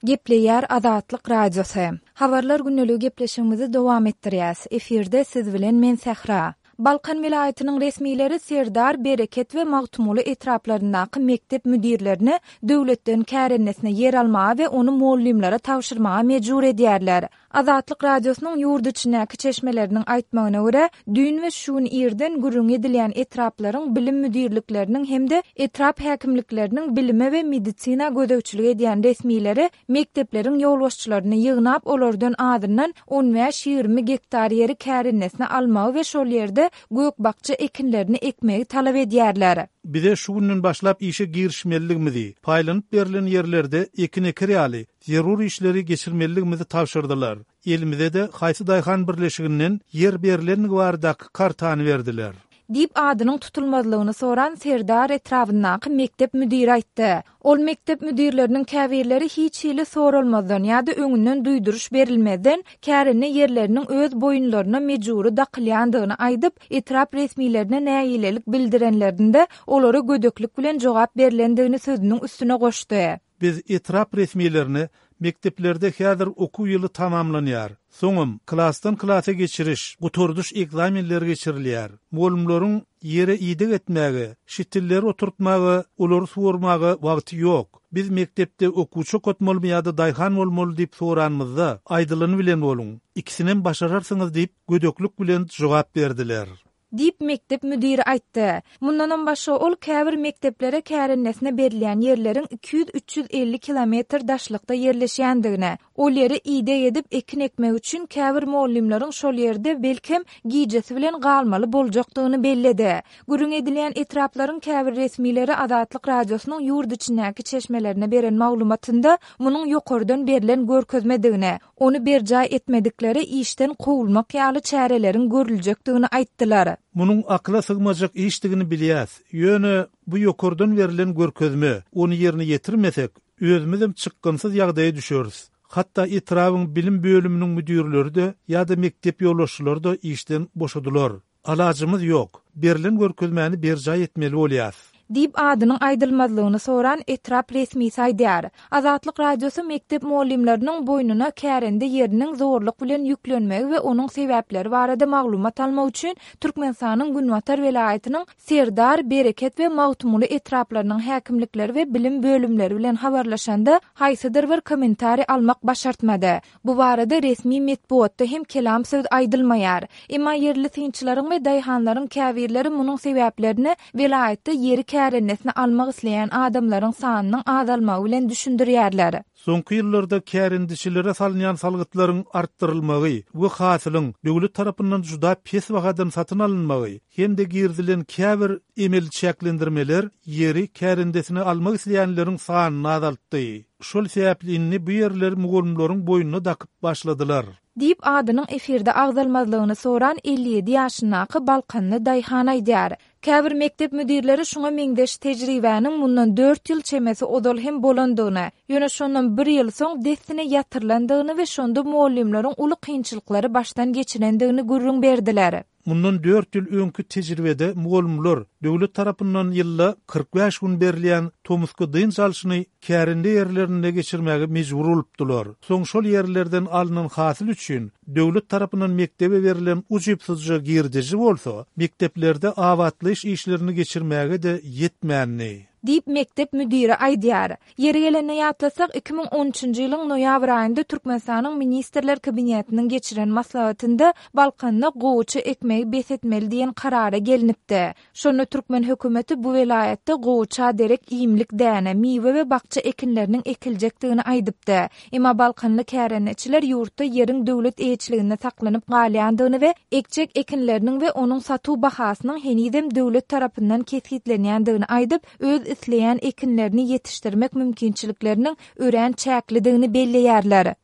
Gepleýär Azatlyk Radiosy. Habarlar gündeligi gepleşigimizi dowam etdirýäs. Efirde siz bilen men Sähra. Balkan welaýatynyň resmileri Serdar, Bereket we Magtymguly etraplaryndaky mekdep müdirlerini döwletden kärendesine ýer almaga we ony mugallymlara tabşyrmaga mejbur edýärler. Azatlyk Radiosynyň ýurt içindäki çeşmeleriniň aýtmagyna görä, düýn we şu gün irden gürrüňi edilýän etraplaryň bilim müdirlikleriniň hem-de etrap häkimlikleriniň bilime we medisina gözegçilik edýän resmileri mekdepleriň ýolbaşçylaryny ýygnap, olardan azyndan on bäş-ýigrimi gektar ýeri kärendesine almagy we şol ýerde gök-bakja ekinlerini ekmegi talap edýärler. Bize şu günden başlap işe girişmelidigimizi, paýlanyp berlen ýerlerde ekin eker ýaly, zerur işleri geçirmelidigimizi tabşyrdylar. Elimize-de haýsy daýhan birleşiginden ýer berlendigi baradaky kartany berdiler. Diýip, adynyň tutulmazlygyny soran Serdar etrabyndaky mekdep müdiri aýtdy. Ol mekdep müdirleriniň käbirleri hiç hili soralmazdan ýa-da öňünden duýduryş berilmezden, kärende ýerleriniň öz boýunlaryna mejbury dakylýandygyny aýdyp, etrap resmilerine nägilelik bildirenlerinde, olara gödeklik bilen jogap berlendigini sözüniň üstüne goşdy. Biz etrap resmilerine mekdeplerde häzir okuw ýyly tamamlanýar. Soňam klasdan klasa geçiriş, gutardyş ekzamenleri geçirilýär. Mugallymlaryň ýere ideg etmäge, şitilleri oturtmaga, olary suwarmaga wagty ýok. Biz mekdepde okuwçy okatmalymy ýa-da daýhan bolmaly diýip soranymyzda, aýdylany bilen boluň, ikisinem başararsyňyz diýip, gödeklik bilen jogap berdiler. Diýip, mekdep müdiri aýtdy. Mundanam başga ol käbir mekdeplere kärendesine berilýän ýerleriň 200-350 kilometr daşlykda ýerleşýändigini, ol ýere ideg edip ekin ekmek üçin käbir mugallymlaryň şol ýerde, belkem, gijesi bilen galmaly boljakdygyny belledi. Gürrüňi edilýän etraplaryň käbir resmileri Azatlyk Radiosynyň ýurt içindäki çeşmelerine beren maglumatynda munuň ýokardan berlen görkezmedigini, Ony berjaý etmediklere işden kowulmak ýaly çäreleriň görüljekdigini aýtdylar. Munuň akyla sygmajak işdigini bilýäs. Ýöne bu ýokardan berlen görkezme, ony ýerine ýetirmesek, özümizem çykgynsyz ýagdaýa düşeris. Hatda etrabyň bilim bölüminiň müdirleri-de ýa-da mekdep ýolbaşçylary-da işden boşadylar. Alajymyz ýok. Berlen görkezmäni berjaý etmeli bolýas. Diýip, adynyň aýdylmazlygyny soran etrap resmisi aýdýar. Azatlyk Radiosy mekdep mugallymlarynyň boýnuna kärende ýeriniň zorluk bilen ýüklenmegi we onuň sebäpleri barada maglumat almak üçin Türkmenistanyň günbatar welaýatynyň Serdar, Bereket we Magtymguly etraplarynyň häkimlikleri we bilim bölümleri bilen habarlaşanda, haýsydyr bir kommentariý almak başartmady. Bu barada resmi metbugatda hem kelam söz aýdylmaýar. Emma ýerli synçylaryň we daýhanlaryň käbirleri munuň sebäplerini welaýatda ýeri kärendesine almak isleýän adamlaryň sanynyň azalmagy bilen düşündirýärler. Soňky ýyllarda kärendeçilere salynýan salgytlaryň artdyrylmagy we hasylyň döwlet tarapyndan juda pes bahadan satyn alynmagy hem-de girizilen käbir emeli çäklendirmeler ýeri kärendesine almak isleýänleriň sanyny azaltdy. Şol sebäpli indi bu ýerleri mugallymlaryň boýnuna dakyp başladylar. Diýip, adynyň efirde agzalmazlygyny soran 57 ýaşyndaky balkanly daýhan aýdýar. Käbir mekdep müdirleri şuňa meňzeş tejribäniň mundan dört ýyl çemesi ozal hem bolandygyny, ýöne şondan bir ýyl soň dessine ýatyrylandygyny we şonda mugallymlaryň uly kynçylyklary başdan geçirendigini gürrüň berdiler. Mundan dört ýyl öňki tejribede mugallymlar döwlet tarapyndan ýylda 45 gün berilýän tomusky dynç alşyny kärende ýerlerinde geçirmäge mejbur bolupdylar. Soň şol ýerlerden alnan hasyl üçin döwlet tarapyndan mekdebe berlen ujypsyzja girdeji bolsa, mekdeplerde abatlaýyş işlerini geçirmäge-de ýetmändi. Diýip, mekdep müdiri aýdýar. Ýeri gelende ýatlasak, 2013-nji ýylyň noýabr aýynda Türkmenistanyň Ministrler Kabinetiniň geçiren maslahatynda Balkanda gowaça ekmegi bes etmeli diýen karara gelnipdi. Şonda türkmen hökümeti bu welaýatda gowaça derek iýmlik däne, miwe we bakja ekinleriniň ekiljekdigini aýdypdy. Emma balkanly kärendeçiler ýurtda ýeriň döwlet eýeçiliginde saklanyp galýandygyny we ekjek ekinleriniň we onuň satuw bahasynyň henizem döwlet tarapyndan kesgitlenýändigini aýdyp, öz isleýän ekinlerini ýetişdirmek mümkinçilikleriniň örän çäklidigini belleýärler.